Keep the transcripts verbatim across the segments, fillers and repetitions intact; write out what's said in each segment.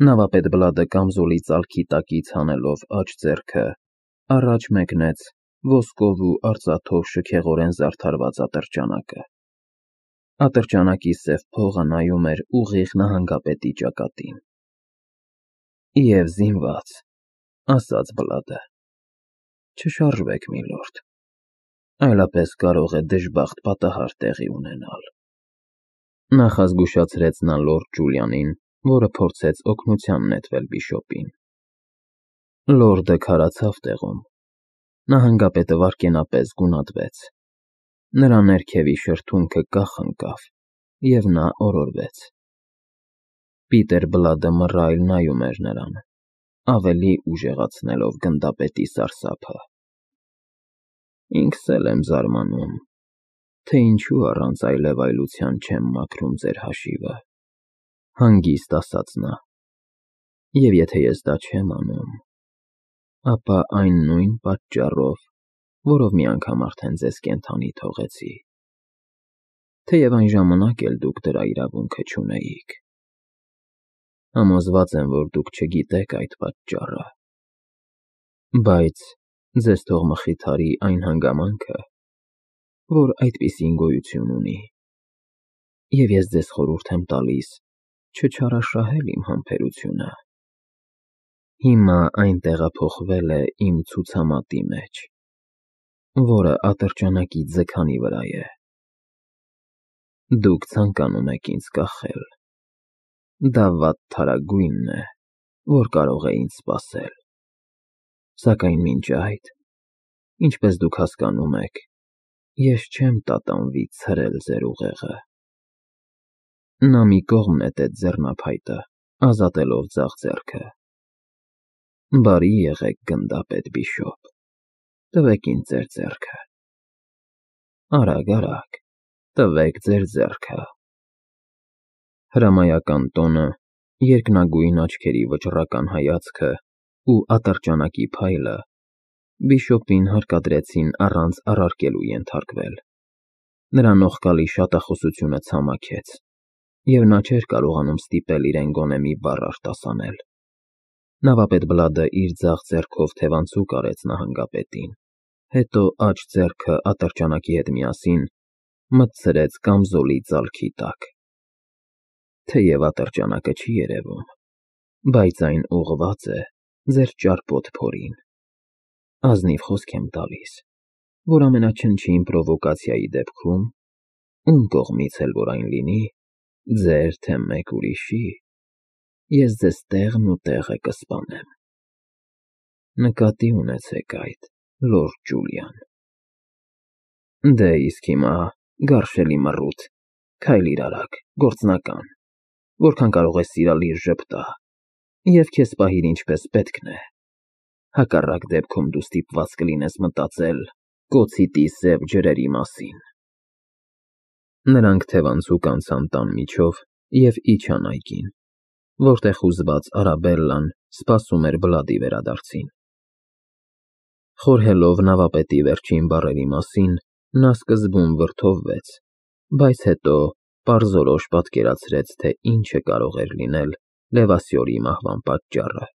Նավապետ Բլադը կամզոլի ծալքի տակից հանելով աջ ձեռքը, առաջ մեկնեց ոսկով ու արծաթով շքեղորեն զարդարված ատրճանակը։ Ատրճանակի սև փողը նայում էր ուղիղ նահանգապետի ճակատին։ Եվ զինված, ասաց Բլադը, չշարժվեք, միլորդ, այլապես կարող է դժբախտ պատահար տեղի ունենալ։ Նախազգուշացրեց նա լորդ Ջուլիանին, որը փորձեց օգնության նետվել բիշոպին։ Լորդը քարացավ տեղում, նահանգապետը վայրկենապես գունատվեց, նրա ներքևի շրթունքը կախ ընկավ, և նա օրորվեց։ Պիտեր Բլադը մռայլ նայում էր նրան, ավելի ուժեղացնելով գնդապետի սարսափը։ Ինքս էլ եմ զարմանում, թե ինչու առանց այլևայլության չեմ մաքրում ձեր հաշիվը, հանգիստ ասաց նա, և եթե ես դա չեմ անում, ապա այն նույն պատճառով, որով մի անգամ արդեն ձեզ կենդանի թողեցի, թեև այն ժամանակ էլ դուք դրա իրավունքը չունեիք։ Համոզված եմ, որ դուք չգիտեք այդ պատճառը, բայց ձեզ թող մխիթարի այն հանգամանքը, որ այդպիսին գոյություն ունի, և ես ձեզ խորհուրդ եմ տալիս չչարաշահել իմ համբերությունը։ Հիմա այն տեղափոխվել է իմ ցուցամատի մեջ, որը ատրճանակի ձգանի վրա է։ Դուք ցանկանում եք ինձ կախել։ Դա վատթարագույնն է, որ կարող է ինձ սպասել։ Սակայն մինչ այդ, ինչպես դուք հասկանում եք, ես չեմ տատանվի ցրել ձեր ուղեղը։ Նա մի կողմ նետեց ձեռնափայտը, ազատելով ձախ ձեռքը։ Բարի եղեք, գնդապետ բիշոպ, տվեք ինձ ձեր ձեռքը։ Արագ, արագ, տվեք ձեր ձեռքը։ Հրամայական տոնը, երկնագույն աչքերի վճռական հայացքը ու ատրճանակի փայլը բիշոպին հարկադրեցին առանց առարկելու ենթարկվել։ Նրա նողկալի շատախոսությունը ցամաքեց, և նա չէր կարողանում ստիպել իրեն գոնե մի բառ արտասանել։ Նավապետ Բլադը իր ձախ ձեռքով թևանցուկ արեց նահանգապետին, հետո աջ ձեռքը ատրճանակի հետ միասին մտցրեց կամզոլի ծալքի տակ։ Թեև ատրճանակը չի երևում, բայց այն ուղղված է ձեր ճարպոտ փորին։ Ազնիվ խոսք եմ տալիս, որ ամենաչնչին պրովոկացիայի դեպքում, ում կողմից էլ որ այն լինի, ձեր թե մեկ ուրիշի, ես ձեզ տեղն ու տեղը կսպանեմ։ Նկատի ունեցեք այդ, լորդ Ջուլիան։ Դե իսկ հիմա, գարշելի մռութ, քայլիր արագ, գործնական, որքան կարող ես սիրալիր ժպտա, և քեզ պահիր ինչպես պետքն է, հակառակ դեպքում դու ստիպված կլինես մտածել կոցիտի սև ջրերի մասին։ Նրանք թևանցուկ անցան տան միջով և իջան այգին, որտեղ հուզված Արաբելլան սպասում էր Բլադի վերադարձին։ Խորհելով նավապետի վերջին բառերի մասին, նա սկզբում վրդովվեց, բայց հետո պարզորոշ պատկերացրեց, թե ինչը կարող էր լինել Լևասյորի մահվան պատճառը։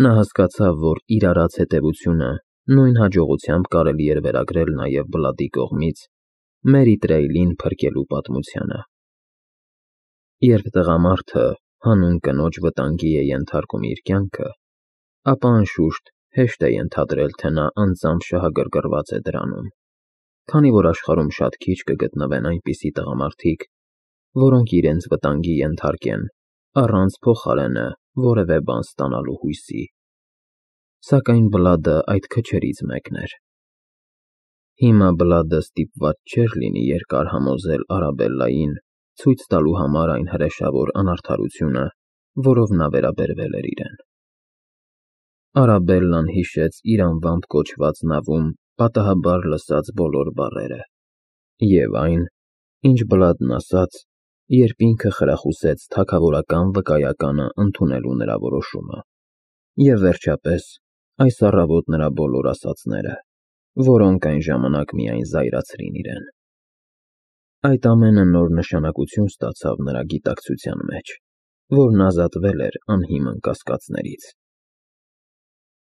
Նա հասկացավ, որ իր արած հետևությունը նույն հաջողությամբ կարելի էր վերագրել նաև Բլադի կողմից Մերի Տրեյլին փրկելու պատմությանը։ Երբ տղամարդը հանուն կնոջ վտանգի է ենթարկում իր կյանքը, ապա անշուշտ հեշտ է ենթադրել, թե նա անձամբ շահագրգռված է դրանում, քանի որ աշխարհում շատ քիչ կգտնվեն այնպիսի տղամարդիկ, որոնք իրենց վտանգի ենթարկեն առանց փոխարենը որևէ բան ստանալու հույսի։ Սակայն Բլադը այդ քչերից մեկն էր։ Հիմա Բլադը ստիպված չէր լինի երկար համոզել Արաբելլային ցույց տալու համար այն հրեշավոր անարդարությունը, որով նա վերաբերվել էր իրեն։ Արաբելլան հիշեց իր անվամբ կոչված նավում պատահաբար լսած բոլոր բառերը, և այն, ինչ Բլադն ասաց, երբ ինքը խրախուսեց թագավորական վկայականը ընդունելու նրա որոշումը, և վերջապես այս առավոտ նրա բոլոր ասածները, որոնք այն ժամանակ միայն զայրացրին իրեն։ Այդ ամենը նոր նշանակություն ստացավ նրա գիտակցության մեջ, որն ազատվել էր անհիմն կասկածներից։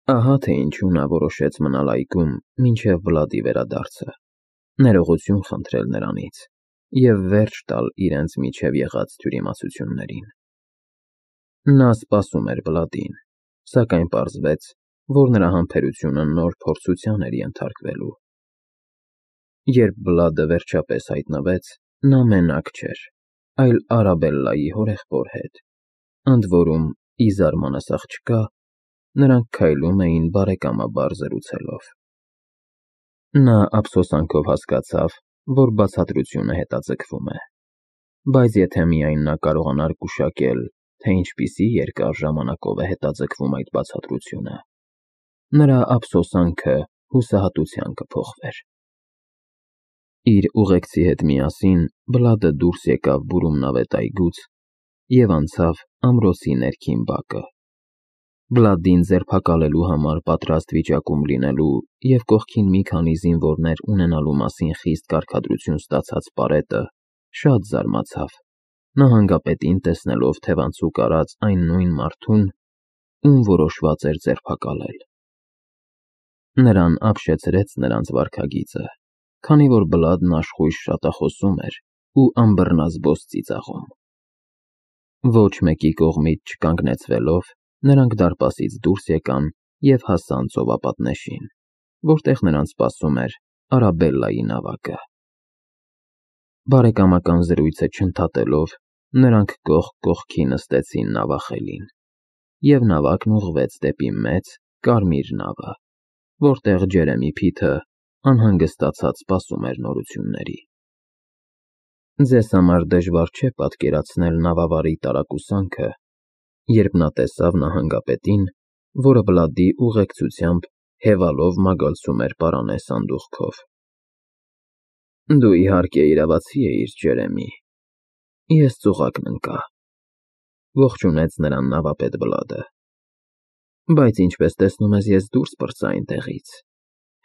Ահա թե ինչու նա որոշեց մնալ այգում մինչև Վլադի վերադարձը, ներողություն խնդրել նրանից և վերջ տալ իրենց միջև եղած թյուրիմացություններին։ Նա սպասում էր Վլադին, սակայն պարզվեց, որ նրա համբերությունը նոր փորձության էր ենթարկվելու։ Երբ Վլադը վերջապես հայտնվեց, նա մենակ չէր, այլ Արաբելլայի հորեղբոր հետ, ընդ որում, ի զարմանս աղջկա, նրանք քայլում էին բարեկամաբար զրուցելով։ Նա ափսոսանքով հասկացավ, որ բացատրությունը հետաձգվում է, բայց եթե միայն նա կարողանար գուշակել, թե ինչպիսի երկար ժամանակով է հետաձգվում այդ բացատրությունը, նրա ափսոսանքը հուսահատության կփոխվեր։ Իր ուղեկցի հետ միասին Վլադը դուրս եկավ բուրումնավետ այգուց և անցավ ամրոցի ներքին բակը, Վլադին ձերբակալելու համար պատրաստ վիճակում լինելու և կողքին մի քանի զինվորներ ունենալու մասին խիստ կարգադրություն ստացած պարետը շատ զարմացավ, նահանգապետին տեսնելով թևանցուկ արած այն նույն մարդուն, ում որոշված էր ձերբակալել։ Նրան ապշեցրեց նրանց վարքագիծը, քանի որ Վլադն աշխույժ շատախոսում էր ու անբռնազբոս ծիծաղում։ Ոչ մեկի կողմից չկանգնեցվելով, նրանք դարպասից դուրս եկան և հասան ծովապատնեշին, որտեղ նրանց սպասում էր Արաբելլայի նավակը։ Բարեկամական զրույցը չընդհատելով, նրանք կողք կողքի նստեցին նավախելին, և նավակն ուղղվեց դեպի մեծ, կարմիր նավը, որտեղ Ջերեմի Փիթը անհանգստացած սպասում էր նորությունների։ Ձեզ համար դժվար չէ պատկերացնել նավավարի տարակուսանքը, երբ նա տեսավ նահանգապետին, որը Վլադի ուղեկցությամբ հևալով մագլցում էր պարանե սանդուղքով։ Դու իհարկե իրավացի էիր, Ջերեմի, ես ծուղակն ընկա, ողջունեց նրան նավապետ Վլադը, բայց ինչպես տեսնում ես, ես դուրս պրծա այնտեղից,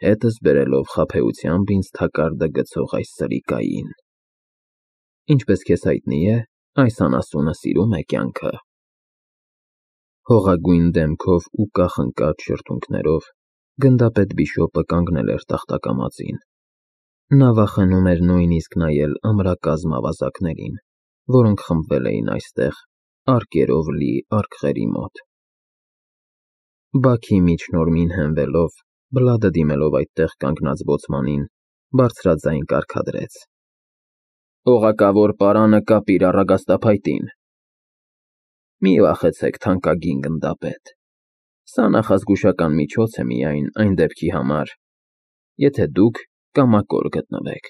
հետս բերելով խաբեությամբ ինձ թակարդը գցող այս սրիկային։ Ինչպես քեզ հայտնի է, այս անասունը սիրում է կյանքը։ Հողագույն դեմքով ու կախնկած շրթունքներով գնդապետ Բիշոպը կանգնել էր տախտակամածին։ Նա վախենում էր նույնիսկ նայել ամրակազմ ավազակներին, որոնք խմբվել էին այստեղ արկերով լի արկղերի մոտ։ Բաքի միջնորմին հենվելով, Վլադը դիմելով այդտեղ կանգնած բոցմանին, բարձրաձայն կարգադրեց. Օղակավոր պարանը կապիր առագաստափայտին։ Մի վախեցեք, թանկագին գնդապետ, սա նախազգուշական միջոց է միայն այն դեպքի համար, եթե դուք կամակոր գտնվեք,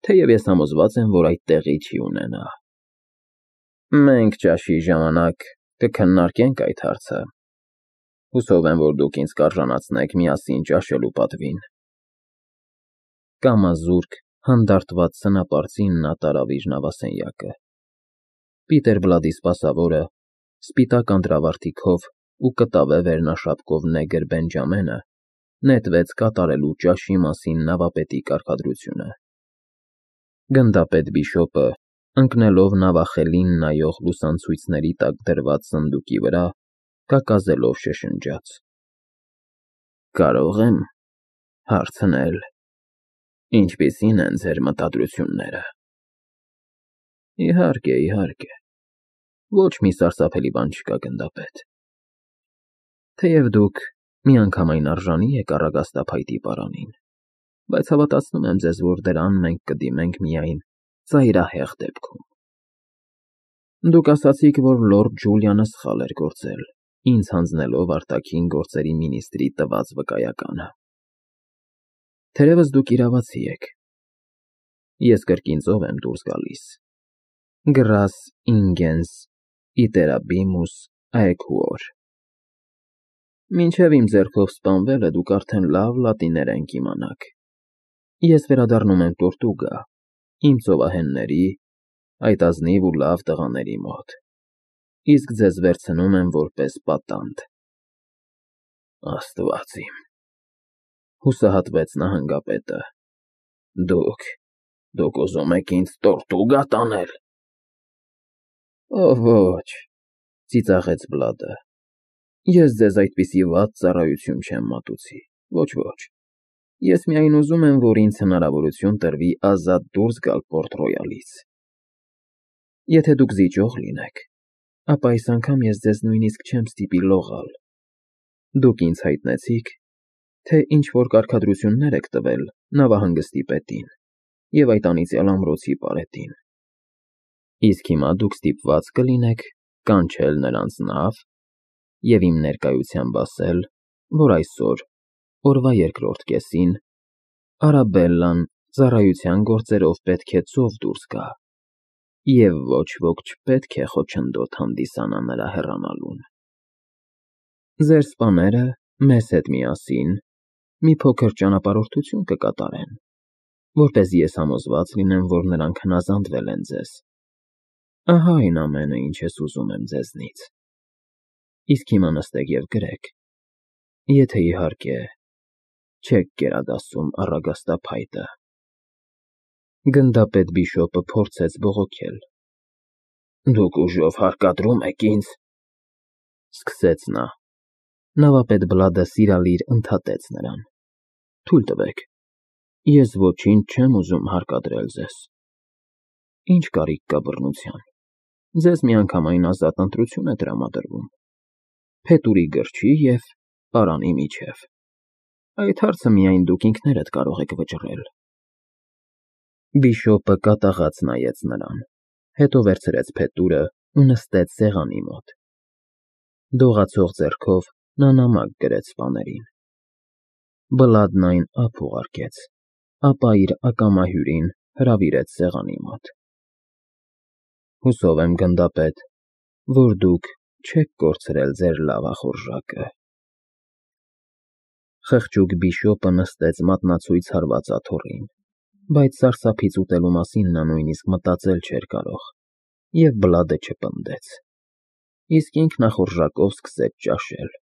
թեև ես համոզված եմ, որ այդ տեղի չի ունենա։ Մենք ճաշի ժամանակ կքննարկենք այդ հարցը, հուսով եմ, որ դուք ինձ կարժանացնեք միասին ճաշելու պատվին։ Կամազուրկ, հանդարտված սնապարծին նա տարավ իր նավասենյակը։ Պիտեր Վլադի սպասավորը, սպիտակ անտրավարտիքով ու կտավե վերնաշապկով նեգր Բենջամենը, նետվեց կատարելու ճաշի մասին նավապետի կարգադրությունը։ Գնդապետ Բիշոպը, ընկնելով նավախելին նայող լուսանցույցների տակ դրված սնդուկի վրա, կակազելով շշնջաց. Կարո՞ղ եմ հարցնել, ինչպիսի՞ն են ձեր մտադրությունները։ Իհարկե, իհարկե, ոչ մի սարսափելի բան չկա, գնդապետ։ Թեև դուք միանգամայն արժանի եք առագաստափայտի պարանին, բայց հավատացնում եմ ձեզ, որ դրան մենք կդիմենք միայն ծայրահեղ դեպքում։ Դուք ասացիք, որ լորդ Ջուլիանը սխալ էր գործել, ինձ հանձնելով արտաքին գործերի մինիստրի տված վկայականը։ Թերևս դուք իրավացի եք։ Ես կրկին ծով եմ դուրս գալիս. Grás ingens iterbimus aequor։ Մինչև իմ ձեռքով սպանվելը դուք արդեն լավ լատիներեն կիմանաք։ Ես վերադառնում եմ Տորտուգա, իմ ծովահենների, այդ ազնիվ ու լավ տղաների մոտ, իսկ ձեզ վերցնում եմ որպես պատանդ։ Աստված իմ, հուսահատվեց նահանգապետը, դուք, դուք ուզում եք ինձ Տորտուգա տանել։ Ո ոչ, Ծիծաղեց Բլադը։ Ես ձեզ այդպիսի վատ ծառայություն չեմ մատուցի, ոչ, ոչ։ Ես միայն ուզում եմ, որ ինձ հնարավորություն տրվի ազատ դուրս գալ Պորտ Ռոյալից։ Եթե դուք զիջող լինեք, ապա այս անգամ ես ձեզ նույնիսկ չեմ ստիպի լողալ։ Դուք ինձ հայտնեցիք, թե ինչ-որ կարգադրություններ եք տվել նավահանգստի պետին և այդ անիծյալ ամրոցի պարետին։ Իսկ հիմա դուք ստիպված կլինեք կանչել նրանց նավ և իմ ներկայությամբ ասել, որ այսօր, օրվա երկրորդ կեսին, Արաբելլան ծառայության գործերով պետք է ծով դուրս գա, և ոչ ոք չպետք է խոչընդոտ հանդիսանա նրա հեռանալուն։ Ձեր սպաները մեզ հետ միասին մի փոքր ճանապարհորդություն կկատարեն, որպեսզի ես համոզված լինեմ, որ նրանք հնազանդվել են ձեզ։ Ահա այն ամենը, ինչ ես ուզում եմ ձեզնից։ Իսկ հիմա նստեք և գրեք, եթե, իհարկե, չեք գերադասում առագաստափայտը։ Գնդապետ Բիշոպը փորձեց բողոքել։ Դուք ուժով հարկադրում եք ինձ, սկսեց նա։ Նավապետ Բլադը սիրալիր ընդհատեց նրան. Թույլ տվեք, ես ոչինչ չեմ ուզում հարկադրել ձեզ։ Ինչ կարիք կա բռնության։ Ձեզ միանգամայն ազատ ընտրություն է տրամադրվում փետուրի գրչի և պարանի միջև։ Այդ հարցը միայն դուք ինքներդ կարող եք վճռել։ Բիշոպը կատաղած նայեց նրան, հետո վերցրեց փետուրն ու նստեց սեղանի մոտ։ Դողացող ձեռքով նա նամակ գրեց սպաներին։ Բլադն այն ափ ուղարկեց, ապա իր ակամա հյուրին հրավիրեց սեղանի մոտ։ Հուսով եմ, գնդապետ, որ դուք չեք կորցրել ձեր լավախորժակը։ Խղճուկ Բիշոպը նստեց մատնացույց հարված աթոռին, բայց սարսափից ուտելու մասին նա նույնիսկ մտածել չէր կարող, և Բլադը չպնդեց։ Իսկ ինքն ախորժակով սկսեց ճաշել։